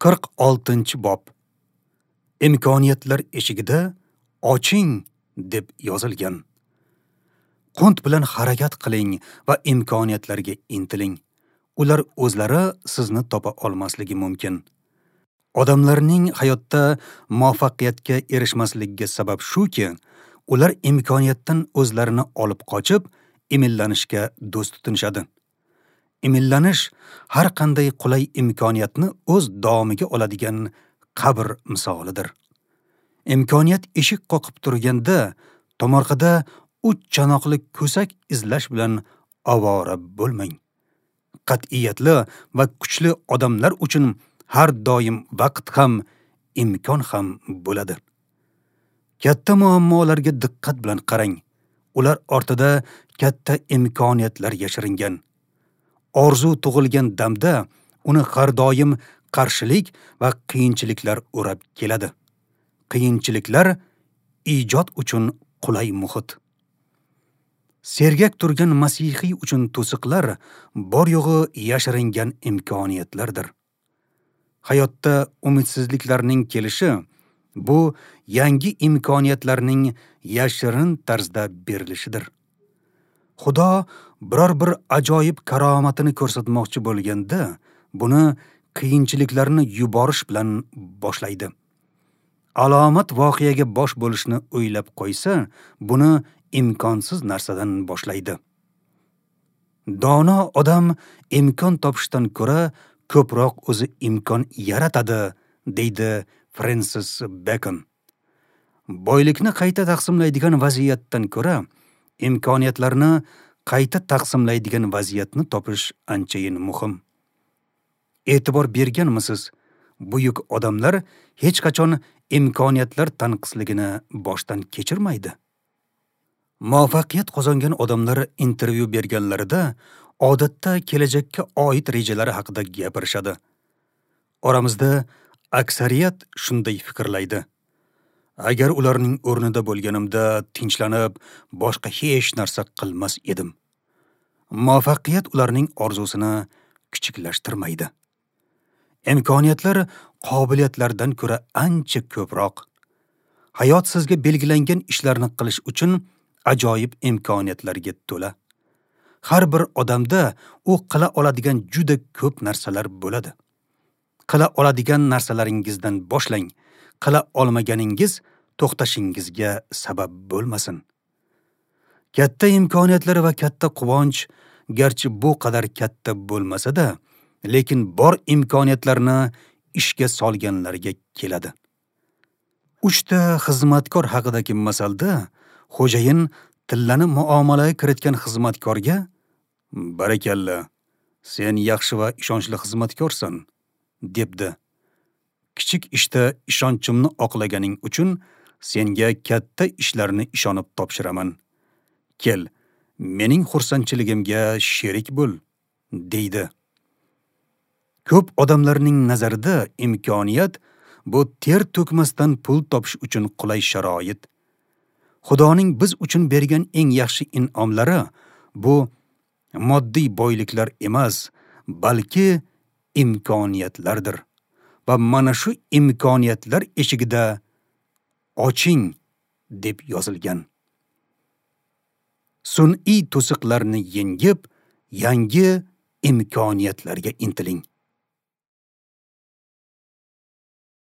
46-bob. Imkoniyatlar eshigida oching deb yozilgan. Qunt bilan harakat qiling va imkoniyatlarga intiling. Ular o'zlari sizni topa olmasligi mumkin. Odamlarning hayotda muvaffaqiyatga erishmasligiga sabab shuki, ular imkoniyatdan o'zlarini olib qochib, emillanishga do'st tutinishadi. Emillanish har qanday qulay imkoniyatni o'z domiga oladigan qabr misolidir. Imkoniyat eshik qoqib turganda, tomorqada 3 chanoqli ko'sak izlash bilan ovora bo'lmang. Qat'iyatli va kuchli odamlar uchun har doim vaqt ham, imkon ham bo'ladi. Katta muammolarga diqqat bilan qarang. Ular ortida katta imkoniyatlar yashiringan. Orzu tug'ilgan damda uni har doim qarshilik va qiyinchiliklar o'rab keladi. Qiyinchiliklar ijod uchun qulay muhit. Sergak turgan masihiy uchun to'siqlar bor yo'g'i yashiringan imkoniyatlardir. Hayotda umidsizliklarning kelishi bu yangi imkoniyatlarning yashirin tarzda berilishidir. Xudo biror bir ajoyib karomatini ko'rsatmoqchi bo'lganda, buni qiyinchiliklarni yuborish bilan boshlaydi. Alomat voqeaga bosh bo'lishni o'ylab qo'ysa, buni imkonsiz narsadan boshlaydi. Dono odam imkon topishdan ko'ra ko'proq o'zi imkon yaratadi, deydi Frensis Bekon. Boylikni qayta taqsimlaydigan vaziyatdan ko'ra imkoniyatlarni qayta taqsimlaydigan vaziyatni topish anchayin muhim. E'tibor berganmisiz? Buyuk odamlar hech qachon imkoniyatlar tanqisligini boshdan kechirmaydi. Muvaffaqiyat qozongan odamlar intervyu berganlarida odatda kelajakka oid rejalari haqida gapirishadi. Oramizda aksariyat shunday fikrlaydi. Agar ularning o'rnida bo'lganimda tinchlanib, boshqa hech narsa qilmas edim. Muvaffaqiyat ularning orzusini kichiklashtirmaydi. Imkoniyatlar qobiliyatlardan ko'ra ancha ko'proq. Hayot sizga belgilangan ishlarni qilish uchun ajoyib imkoniyatlarga to'la. Har bir odamda u qila oladigan juda ko'p narsalar bo'ladi. Qila oladigan narsalaringizdan boshlang. Qila olmaganingiz to'xtashingizga sabab bo'lmasin. Katta imkoniyatlar va katta quvonch garchi bu qadar katta bo'lmasa-da, lekin bor imkoniyatlarni ishga solganlarga keladi. 3 ta xizmatkor haqidagi masalda xo'jayin tillani muomalaga kiritgan xizmatkorga "Barakalla, sen yaxshi va ishonchli xizmatkorsan" debdi. Kichik ishda ishonchimni oqlaganing uchun senga katta ishlarni ishonib topshiraman. Kel, mening xursandchiligimga sherik bo'l, deydi. Ko'p odamlarning nazarida imkoniyat bu ter to'kmasdan pul topish uchun qulay sharoit. Xudoning biz uchun bergan eng yaxshi in'omlari bu moddiy boyliklar emas, balki imkoniyatlardir. Va mana shu imkoniyatlar eshigida oching deb yozilgan. Sun'iy to'siqlarni yengib, yangi imkoniyatlarga intiling.